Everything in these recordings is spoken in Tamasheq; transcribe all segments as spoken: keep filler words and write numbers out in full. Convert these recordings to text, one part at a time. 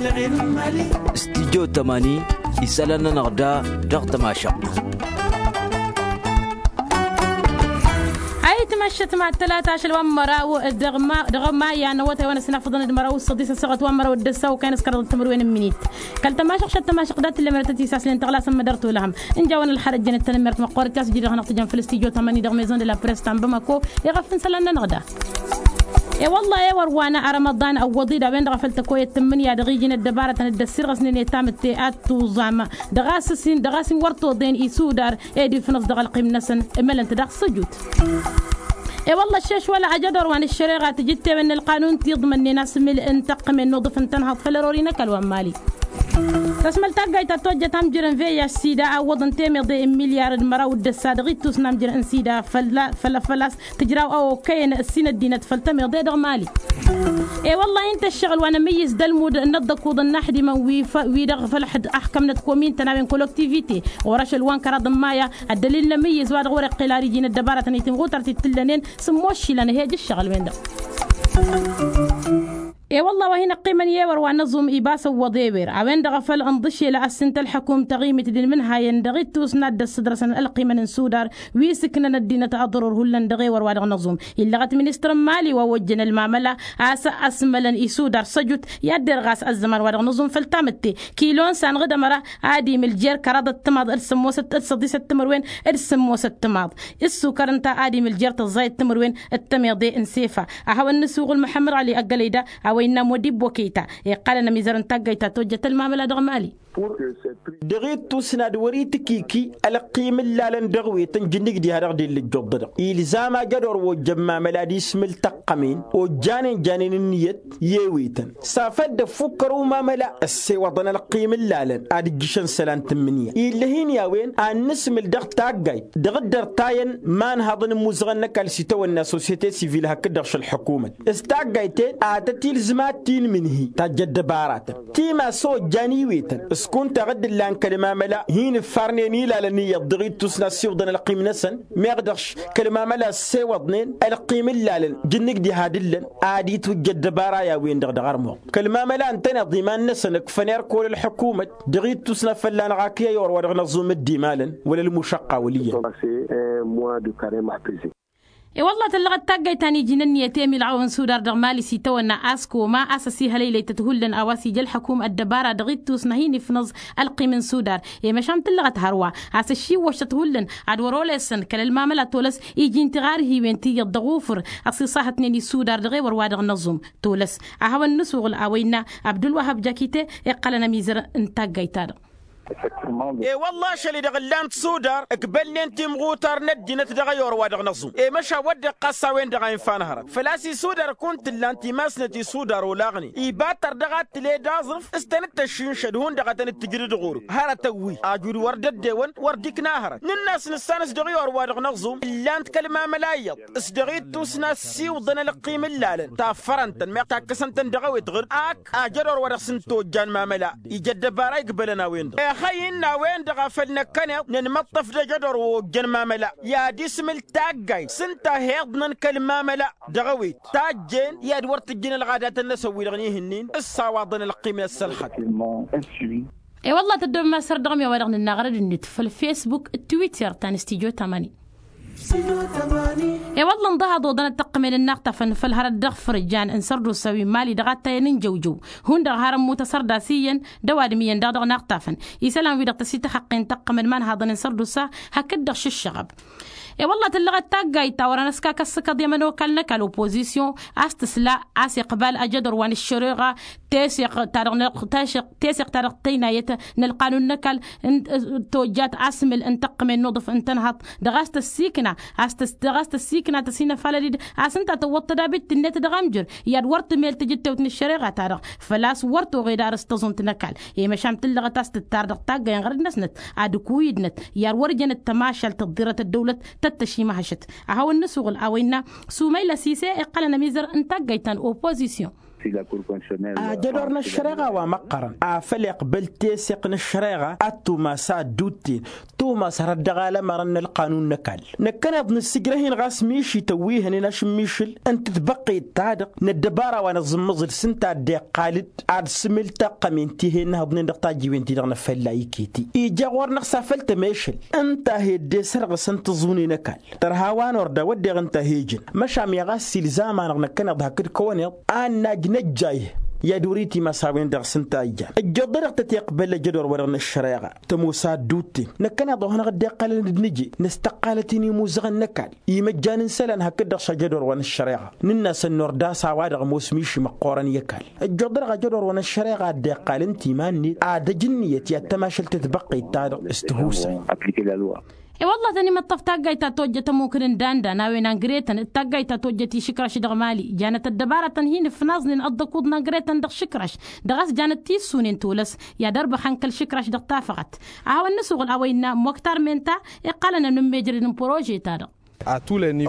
Studyo tămani isălan-nănăɣ da dăɣ-tămašăɣt. Ayǝtmašăt ma tălata ašăl wa n-măraw dăɣ-maya n-awătay wa n-ăsnafăḍăn d-măraw s-săḍis ăssaɣăt wa n-măraw d-ăssaw kan s-kăraḍăt timǝrwen n-minit. Kăl-tămašăɣ šăt tămašăɣ dat-tǝllem rătăt isaslen tăɣlasăn mădăr tolăhăm ǝnja-wăn ălxărăt jănăt tănămmert măqqoorăt i-a-s ǝjǝdăɣ-năɣ tǝjăn făll-studyo tămani dăɣ-maison de la press ta n-bamako. Iɣăf n-isălan-nănăɣ da. I-wălla i-wăr wa n-arămăḍan ăwwăḍ-i d-a-wen-dăɣ a făl tăkoyăt tǝmmǝnǝya dăɣ-iji n-ăddăbarătăn dd-ăssirɣăsnen i-tamǝtte ad-tuẓam dăɣ-a-s ǝssin dăɣ-a-s inwăr toḍen isudar ed ifnăẓ dăɣ-ălqim-năsăn. Ǝmălăn-t daɣ săjut. I-wălla ăššeš wăla ajădor wa n-ăššăreɣa tǝjǝttewen n-ălqanun ti iḍmănnen asmǝl n-tăqqǝmen n-uḍǝf n-tănhăḍt făll-ărori n-ăkall wa n-mali. Tăsmăl taggayt ta tojjăt amjăr n-veyas sida a ǝwwăḍăn temeḍe n-milyar d-măraw d-ăssa dăɣ-ittus n-amjăr n-sida fălla-fălla-s tǝjraw a okăyăn ǝssin ăddinăt făll-tămeḍe dăɣ-mali. I-wălla-hi ǝnta ăššăɣǝl wa n-amǝyyǝs d-ălmud n-ăḍḍăkuḍ n-inaxdimăn wi-dăɣ făll-ăxkămnăt komin-tăn a-wen koloktivite ɣur-ašăl wa n-kăraḍ n-maya. Ăddălil n-amǝyyǝs wa dăɣ-wăr-iqqel ar iji n-ăddăbarătăn itimɣutăr ti t-tǝllănen s-ămmoššilăn ăhej ǝššăɣǝl-wen-dăɣ. I-wălla wa hin-ăqqimăn i-ewăr wa n-aẓum ibas ǝwwăḍ ewer a-wen-dăɣ a făl ǝnḍǝšel a ăssǝnt ălḥăkum taɣimit d-inmǝnhayăn dăɣ-ittus n-ad-dd-ăssǝdrăsăn ălqimăn n-sudar wi s-ǝknăn ăddinăt aḍărur hullan dăɣ-ewăr wa dăɣ-năẓum. Illăɣăt ministăr n-mali wa ojjăn ălmamăla a-s ăsmălăn isudar săjut i-ad-derɣas ăzzăman wa dăɣ-năẓum făll-tamǝtte. Kilo n-sanɣǝd ămăra ad-imǝl jer-kăraḍăt timaḍ d-sămmosăt d-săḍisăt timǝrwen d-sămmosăt timaḍ. Ǝssukăr ǝnta ad-imǝl jer-tăẓẓayăt timǝrwen d-temeḍe n-sefa. A hawăn-nǝsuɣǝl muḥămmăd ɣali ăggălăy da a-wa innă modibbo keyta iqqalăn ămizăr n-taggayt ta tojjăt ălmamăla dăɣ-mali. Dăɣ-ittus n-ad-wăr-itǝkiki ălqim ǝllalăn dăɣ-wetăn jǝnnǝj diha dăɣ-dellăjjoḍ-dăɣ ilzam ajădor wa ojjăn mamăla ad-ismǝl tăqqămen ojjanen janen ǝnniyăt i-ewetăn. S-afăl dd-ăffukkăr umamăla ăssewăḍăn ălqim ǝllalăn ad-ǝjjǝšăn isălan tǝmmǝnǝya ill'-e-hin i-a-wen ad-nǝsmǝl dăɣ-taggayt dăɣ-dd-ărtayăn imanhaḍăn n-imuzăɣăn n-ăkall s-itawănna sosyete sivil hakd-dăɣ šălḥăkumăt s-taggayt-en ad-tăt-ilzǝm ad-t-inmǝnhǝy tajj ăddăbaratăn timas ojjan iwetăn s-kunta ɣǝdd ǝllan kăl-mamăla hin-ǝffarnen ilalăn iyyăḍ dăɣ-ittus n-ad-siwǝḍăn ălqim-năsăn. Meɣ dăɣ-š kăl-mamăla ăssewăḍnen ălqim ǝllalăn jǝnnǝj diha d-ǝllăn ad-itwǝjj ăddăbara i-a-wen-dăɣ dăɣ-armuɣ kăl-mamăla ǝntăneḍ iman-năsăn ǝkfăn erk wăla ălḥukumăt dăɣ-ittus n-ad-fălla-năɣ akǝy ăyor wa dăɣ-năẓum dd-imalăn wăla ălmušăqqa wăl' iyyăn. I-wălla tǝllăɣăt taggayt ta n-iji n-ǝnniyăt emilɣaw n-sudar dăɣ-mali s-itawănna a-s koma a-s ăsihălăylăy-tăt hullan a-wa s-ija ălḥăkum ăddăbara dăɣ-ittus n-ad-hin-ifnăẓ ălqim n-sudar. I-măšan tǝllăɣăt hărwa a-s ăššiwwăšăt hullan ad-wăr-olesăn kăl-ălmamăla tolăs iji n-tiɣarhiwen ti iyyăḍ dăɣ-ufǝr ăṣiṣahătnen isudar dăɣ-ewăr wa dăɣ-năẓum. Tolăs a hawăn-nǝsuɣǝl a-wa innă abdulwăhăb jakite iqqălăn ămizăr n-taggayt-ta-dăɣ. E-wălla-š ălidăɣ ǝllan-t sudar ǝkbălnen timɣutar n-ăddinăt dăɣ-ăyor wa dăɣ-năẓum i-măšan wădden ɣas a-wen-dăɣ a infa n-hărăt făl-a-s isudar kunta ǝllan-t imasnăt isudar olaɣnen iba tărdăɣ ad-tǝled aẓrǝf s-tăn-dd-tăššinšăd hundăɣ a tăn-dd-tǝjrǝd ɣur-dd hărătăn wi ajud wăr dd-ăddewăn wăr dd-ikna hărăt nǝnn'-as nǝssan s-dăɣ-i or wa dăɣ-năẓum ǝllan-t kăl-mamăla iyyăḍ s-dăɣ-ittus n-ad-siwǝḍăn ălqim ǝllalăn taffărăn-tăn meɣ takkăsăn-tăn dăɣ-ewet ɣǝr-dd ak ajădor wa dăɣ-s n-tojjan mamăla ija ăddăbara igbălăn a-wen-dăɣ ehăy inn'-a-wen-dăɣ a făl năkkăneḍ nǝnmăṭṭăf d-ajădor wa ojjăn mamăla i-ad-ismǝl taggayt s-ǝnta a hi-iḍnăn kăl-mamăla dăɣ-ewet tajjen i-ad-wăr tǝjjǝn ălɣadatăn-năsăn wi-dăɣ n-ihǝnnin s-sawaḍăn ălqim n-ăssălxăt. E-wălla tăddobem asăr dăɣ-mi a-wa dăɣ-nǝnna ɣărăd-net făll-fesbuk d-twitter ta n-studyo tamani. E-wălla ǝnḍăhăḍ oḍănăt tăqqǝmen n-inaɣtafăn făll-hărăt dăɣ-fărjan n-sărdusa wi n-mali dăɣ-attayăn n-jăwjăw hundăɣ har ămmut asărdas iyyăn d-ăwadǝm iyyăn daɣ dăɣ-inaɣtafăn isălan-wi-dăɣ tăsităxăqqen tăqqǝmăn imanhaḍăn n-sărdusa hakd-dăɣ šǝššăɣăb. E-wălla tǝllăɣăt taggayt ta wăr-anăskakăs s-kăḍ i-ămănokal n-ăkall opozisyon a-s tǝsla a-s iqbal ajădor wa n-ăššăreɣa teseɣt ta dăɣ-teseɣt ta dăɣ-tăynayăt n-ălqanun n-ăkall tojjat asmǝl n-tăqqǝmen n-uḍǝf n-tănhăḍt dăɣ-a-s tăssikna a-s tăssikna tăsinăfalăd-dd a-s ǝnta tăwwăḍ tădabit-net dăɣ-amjăr i-ad-wăr tǝmel tǝjǝttewt n-ăššăreɣa-ta-dăɣ făl-a-s wăr toɣed arǝs tăẓunt n-ăkall i-măšan tǝllăɣăt a-s tǝttar dăɣ-taggăyăn ɣărăd-năsnăt ad-ǝkuyǝdnăt i-ad-wăr jănăt tămašalt ăḍḍirăt ăddăwlăt tăt-tăšimăhăšăt. A hawăn-nǝsuɣǝl a-wa innă sumayla sise iqqălăn ămizăr n-taggayt ta n-opozisyon. Ajădor n-ăššăreɣa wa măqqărăn afăl iqbăl teseɣt n-ăššăreɣa ad-tumas ad-dd-utten tumas hărăt dăɣ-alămărăn n-ălqanun n-ăkall. Năkkăneḍ nǝssǝjrăh-in ɣas mišităn wi hănen ašǝmmišǝl n-tǝtbăqqet-ta-dăɣ n-ăddăbara wa nǝẓǝmmǝẓǝl s-ǝnta a dd-iqqal-dd ad-sǝmǝl taqqămen ti he-innăhăḍnen dăɣ-tajǝwen-ti-dăɣ n-afălla iket-i ija ɣur-năɣ s-afăl tămešăl ǝnta a he-dd-esărɣǝsăn tǝẓune n-ăkall. Tărha wa n-orda wădden ǝnta a he-ijăn măšan mi ɣas s-ilzam-anăɣ năkkăneḍ hakd kăwăneḍ ad-najj năjjayh i-ad-uri timas a-wen-dăɣ s-ǝnta a ijjan ǝjjoḍ-dăɣ tăt-iqbăl ăjădor-wa-dăɣ n-ăššăreɣa. Tămoos ad-dd-utten năkkăneḍ ohănăɣ dd-iqqălăn d-nǝje năstăqqalăt-in imuzăɣăn n-ăkall imăjjan n-isălan hakd-dăɣ šajădor wa n-ăššăreɣa nǝnn'-asăn n-orda a-s a-wa-dăɣ ămoos miši măqqoorăn i-ăkall. Ăjjoḍ-dăɣ ajădor wa n-ăššăreɣa a dd-iqqal ǝnta iman-net ad-ăj ǝnniyăt i-ad-tămašăl tǝtbăqqet-ta-dăɣ s-tihusay. I-wălla tăn-imǝṭṭăf taggayt ta tojjăt ămmukǝn n-dandan a-wen angretăn d-taggayt ta tojjăt išǝkraš dăɣ-mali janăt ăddăbaratăn hin-ǝfnaẓnen ăḍḍăkuḍ n-angretăn dăɣ-išǝkraš dăɣ-a-s janăt tissunen tolăs i-ad-ărbăxăn kăl-išǝkraš dăɣ-tafăɣăt. A hawăn-nǝsuɣǝl a-wa innă moktar menta iqqălăn ănummejrăd n-porože-ta-dăɣ.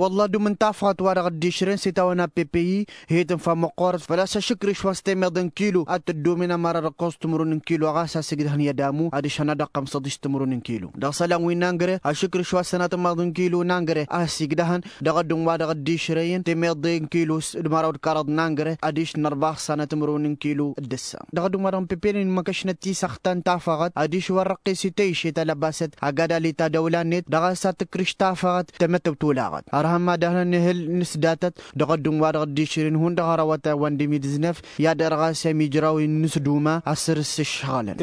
Wălla dum n-tafăɣăt wa dăɣ-dd-išrǝn s-itawăn a pp-i hi-tǝnfa măqqoorăt făl-a-s ašǝkrǝš wa s-temeḍe n-kilo ad-tǝddomen ămăra dăɣ-kăwăs timǝrwen n-kilo ɣas a sǝgdăhăn i-ădamu adiš hăna dăɣ-xămsăḍiš timǝrwen n-kilo dăɣ-isălan wi n-angre ašǝkrǝš wa s-sănatămaḍ n-kilo n-angre a has-igdăhăn dăɣ-ădduun wa dăɣ-dd-išrăyăn temeḍe n-kilo d-măraw d-kăraḍ n-angre adiš n-ărbax sănatămărwen n-kilo d-ǝssa dăɣ-ădduun wa dăɣ-n pp-nin măkăšnăt tisăxta n-tafăɣăt adiš wăr răqqes i-tăyše talăbasăt agad alita dăwla-net dăɣ-a-s ad-tǝkrǝš tafăɣăt tămătăw tolaɣăt. Ărhăn ma dăɣ-nănihǝl n-s datăt dăɣ-ădduun wa dăɣ-dd-išrǝyăn hundăɣ hărăwăt a-wen d-mil dǝznăf i-ad-ărɣas i-amijraw-in n-s duma a săr-s ǝššăɣǝlăn.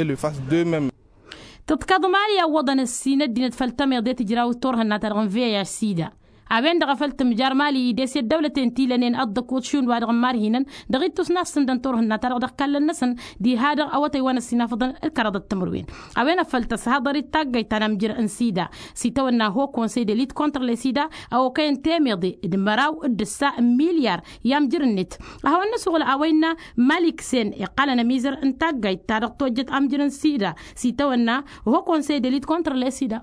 Tǝḍkăḍ mali iwwăḍăn ǝssin ăddinăt făll-tămiḍe tǝjraw turhǝnna-ta-dăɣ n-veyaj sida a-wen-dăɣ a făl tǝmjar mali ides i-ăddăwlăten ti lănen ăḍḍăkuḍ šund wa dăɣ-n marhinăn dăɣ-ittus n-ad-sǝndăn turhǝnna-ta-dăɣ dăɣ-ikallăn-năsăn diha-dăɣ awătay wa n-ăssinafăḍăn d-kăraḍăt timǝrwen. A-wen a făl tăshăḍăr-dd taggayt ta n-amjǝr n-sida s-itawănna ho konsey de lit contre le sida a okăyăn temeḍe d-măraw d-ǝssa n-milyar i-amjǝr-net. A hawăn-nǝsuɣǝl a-wa innă malik sen iqqalăn ămizăr n-taggayt ta dăɣ-tojjăt amjǝr n-sida s-itawănna ho konsey de lit contre le sida.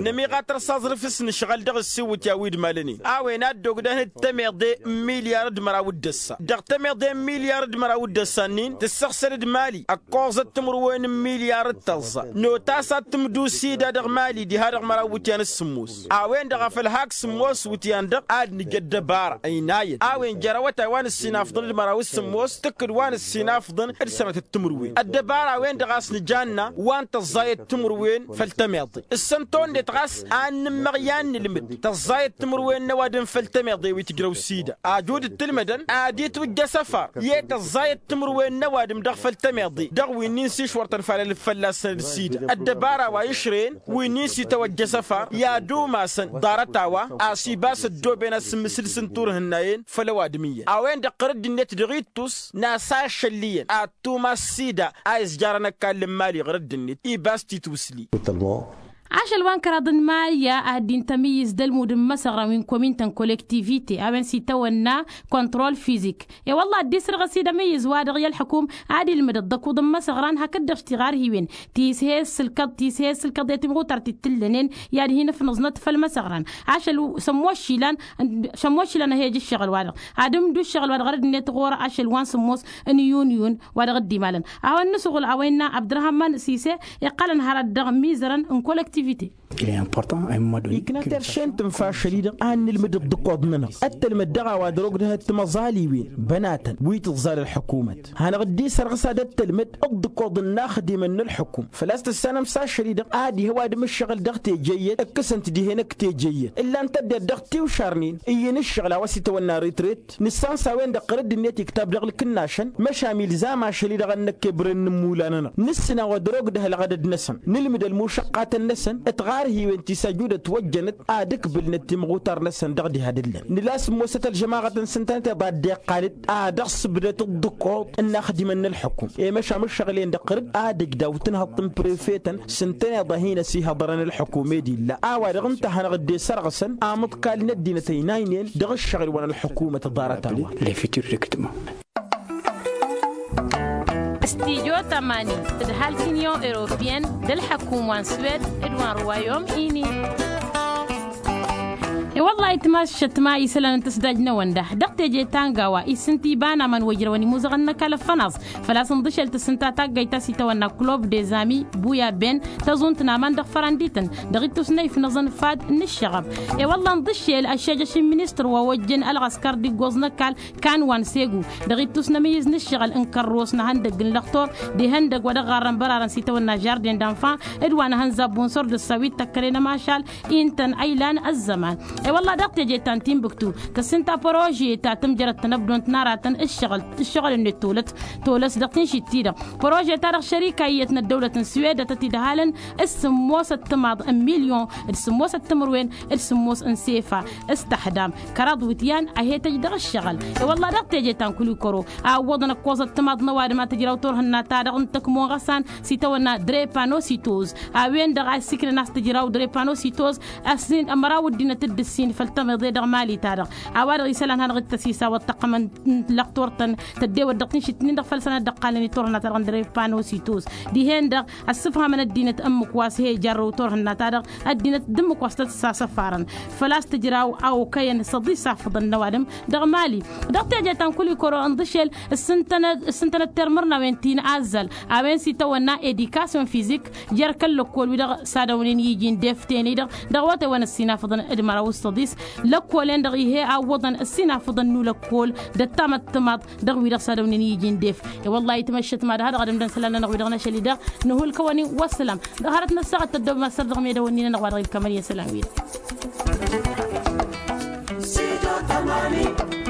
Nămiɣ ad-tărsaẓrǝf s-nǝšɣăl dăɣ-ǝssiwǝtya wi d-malănen a-wen ad-dd-ogdăhăn d-temeḍe n-milyar d-măraw d-ăssa dăɣ-temeḍe n-milyar d-măraw d-ăssa-nin tǝssăɣsăd d-mali ăkkoẓăt timǝrwen n-milyar d-tăẓẓa. Notas ad-tǝmdǝw sida dăɣ-mali diha dăɣ-măraw iwǝtyan s-sǝmmos a-wen-dăɣ a făl hak sǝmmos iwǝtyan-dăɣ ad-nǝj ăddăbara ăynayăn a-wen jer-awătay wa n-ǝssinafḍăn d-măraw s-sǝmmos tǝkkǝd wa n-ǝssinafḍăn d-sănatăt timǝrwen ăddăbara a-wen-dăɣ a-s nǝjanna wa n-tăẓẓayăt timǝrwen făll-tămeḍe ǝssăn-t-onnet ɣas a n-nǝmmăɣ i-ad-nǝlmǝd tăẓẓayăt timǝrwen n-ăwadǝm făll-tămeḍe wi tǝjrăw sida ajud d-tǝlmădăn ad-itwǝjj asăfar i-tăẓẓayăt timǝrwen n-ăwadǝm dăɣ-făll-tămeḍe dăɣ-winnin s-išwărtăn falălăf fălla-săn d-sida ăddăbara wa išrăyăn winnin s-itawăjj asăfar i-ad-umasăn ḍarăt-a-wa a-s ibas ăddooben asǝmmǝsǝl s-inturhǝnnayen făll-ăwadǝm iyyăn a-wen-dăɣ ɣăr dd-net dăɣ-ittus n-asašăl iyyăn ad-tumas sida a izjarăn ăkall n-mali ɣăr dd-net ibas titwǝsli. Ašăl wa n-kăraḍ n-mali a ăddin tămǝyyǝz d-ălmud n-imăsăɣran wi n-komin-tăn kollektivite a-wen s-itawănna kontrol fizik. I-wălla ad-dd-isrăɣ ăsidămǝyyǝz-wa-dăɣ i-ălḥǝkum ad-ilmǝd ăḍḍăkuḍ n-imăsăɣran hakd-dăɣ s-tiɣarhiwen ti s-he-ăssǝlkăḍ ti s-he-ăssǝlkăḍ i-timɣutart t-tǝllănen i-ad-hin-ǝfnǝẓnăt făll-imăsăɣran. Ašăl sămmošilăn sămmošilăn a he-ăj ǝššăɣǝl-wa-dăɣ ad-ǝmdǝw ǝššăɣǝl-wa-dăɣ ɣărăd-net ɣur-ašăl wa n-sǝmmos n-iyyun iyyun wa dăɣ-dd-imalăn. A-wa n-nǝsuɣǝl a-wa innă abdărhămman sise iqqălăn hărăt dăɣ-imizărăn n-kollektivite. Ikna terše n-tǝnfa ašăl-i-dăɣ ad-nǝlmǝd ǝḍḍǝkoḍ-nănăɣ ăttălmăd dăɣ-a-wa dăr-ogdăhăt timăẓaliwen bănatăn wi tǝẓẓal ălḥukumăt hanăɣ-dd-isărɣǝs ad-ăttălmăd ǝḍḍǝkoḍ n-inaxdimăn n-ălḥukum făl-a-s tǝssanăm s-ašăl-i-dăɣ ad-ih ăwadǝm ǝššăɣǝl dăɣ-teje iyyăt ǝkkǝsăn-t dihen ăkk-teje iyyăt ǝllan-t ăddinăt dăɣ-tiwšarnen iyyăn ǝššăɣǝl a-wa s-itawănna retret. Nǝssan s-a-wen-dăɣ ɣărăd-net iktab dăɣ-ǝlkǝnnašăn măšan ilzam ašăl-i-dăɣ ad-năkk ebrăn n-imula-nănăɣ nǝssǝn a-wa dăr-ogdăh ălɣădăd-năsăn nǝlmǝd ălmušăqqatăn-năsăn. Tiɣarhiwen ti s-ăjudăt wăjjănăt ad-ǝkbǝlnăt timɣutar-năsăn dăɣ-diha d-ǝllăn nǝla sǝmmosăt ălžămaɣăt n-sǝntănăt iḍa dd-iqqalăt ad-dăɣ-sǝbdăt ǝḍḍǝkoḍ n-inaxdimăn n-ălḥukum i-măšan ǝššăɣǝl-en-dăɣ ɣărăd ad-ǝjdaw tǝnhăḍt n-prefetăn s-ǝntăneḍ a hin-ăsihăḍărăn ălḥukum ed illa a-wa dăɣ-ǝnta a hanăɣ-dd-esărɣǝsăn amǝḍkal n-ăddinăt ăynaynen dăɣ-ǝššăɣǝl wa n-ălḥukumăt ḍarăt-a-wa. Stijo tămanin d-halk inyon europiyăn d-ălḥăkum wa n-swed d-wa n-ruwayom ini. E-wălla-hi tmaššăt ma isălan n-tǝsdaj-năwăn da dăɣ-teje ta n-gawa isǝnta iba n-aman wa ijrăwăn imuzăɣăn n-ăkall ăffănaẓ. Făl-a-s ǝnḍǝšel tǝssǝnta taggayt ta s-itawănna club dezami buya ben tăẓunt n-aman dăɣ-fărandităn dăɣ-ittus n-ayǝf n-aẓǝnfad n-ǝššăɣăb. E-wălla ǝnḍǝšel ăššejăš n-ministăr wa ojjăn ălɣăskăr d-iggoẓ n-ăkall kan wa n-segu dăɣ-ittus n-amǝyyǝz n-ǝššăɣǝl n-kărros n-ehăndăgg n-lăxtor d-ihăndăgg wa dăɣ-ɣarrăn bărarăn s-itawănna žarden d-anfan d-wa n-ehăn zabbun sor d-ăssawit tăkkăre n-ămašal. Intăn ăylan ăzzăman. E-wălla dăɣ-teje ta n-tinbǝktu tăssinta părože ta tǝmjărăt tănăbdont n-aratăn ǝššăɣǝl-net tolăt tolăs dăɣ-tinšit-ti-dăɣ părože-ta-dăɣ šărika iyyăt n-ăddăwlăt n-swed ătăt-idăhalăn d-sǝmmos ăttămaḍ n-milyon d-sǝmmos ăttămărwen d-sǝmmos n-sefa s-tăxdam kăraḍ wǝtyan a he-tăj dăɣ-ǝššăɣǝl. E-wălla dăɣ-teje ta n-kulikoro a ǝwwăḍăn ăkkoẓ ăttămaḍ n-ăwadǝm a tǝjraw turhǝnna-ta-dăɣ n-tăkmo ɣăsan s-itawănna drepanocytose a-wen-dăɣ a ǝssiknăn a-s tǝjraw drepanocytose. Ăssin ămăraw ăddinăt dd-ǝssin făll-tămiḍe dăɣ-mali-ta-dăɣ a-wa-dăɣ isălan hanăɣ-dd-tăsisa wa t-tăqqămăn lăxtor-tăn tăddewăt dăɣ-tinšit-nin-dăɣ făll-săn ad-dd-ăqqalnen i-turhǝnna-ta-dăɣ n-drepanocytose dihen-dăɣ ăssǝfhamăn ăddinăt ǝmmǝk wa s-he-ijarrăw turhǝnna-ta-dăɣ ăddinăt d-ǝmmǝk wa s-tăt-sasăfarăn. Făl-a-s tǝjraw a okăyăn s-ăḍisafăḍăn n-ăwadǝm dăɣ-mali. Dăɣ-teje ta n-kulikoro ǝnḍǝšel ǝssǝntănăt termărnawen ti n-azzăl a-wen s-itawănna edikasyon fizik jer-kăl-lăkkol-wi-dăɣ s-ad-ăwnen iji n-def tene-dăɣ dăɣ-awătay wa n-ăssinafăḍăn d-măraw s-tăḍis lăkkolen-dăɣ ih'-e a ǝwwăḍăn ăssinafăḍăn n-ulăkkol d-ăttam ăttămaḍ dăɣ-wi-dăɣ s-ad-ăwnen iji n-def. I-wălla-hi tmăššăt ma d-ha-dăɣ ad-ămdăn isălan-nănăɣ wi-dăɣ n-ašăl-i-dăɣ nǝhulkăwăn-in wa ǝssălam. Dăɣ-hărăt n-ăssaɣăt tăddob mad-săr dăɣ-medăwăn-in-nănăɣ wa dăɣ-ilkămăn i-isălan-wi-dăɣ.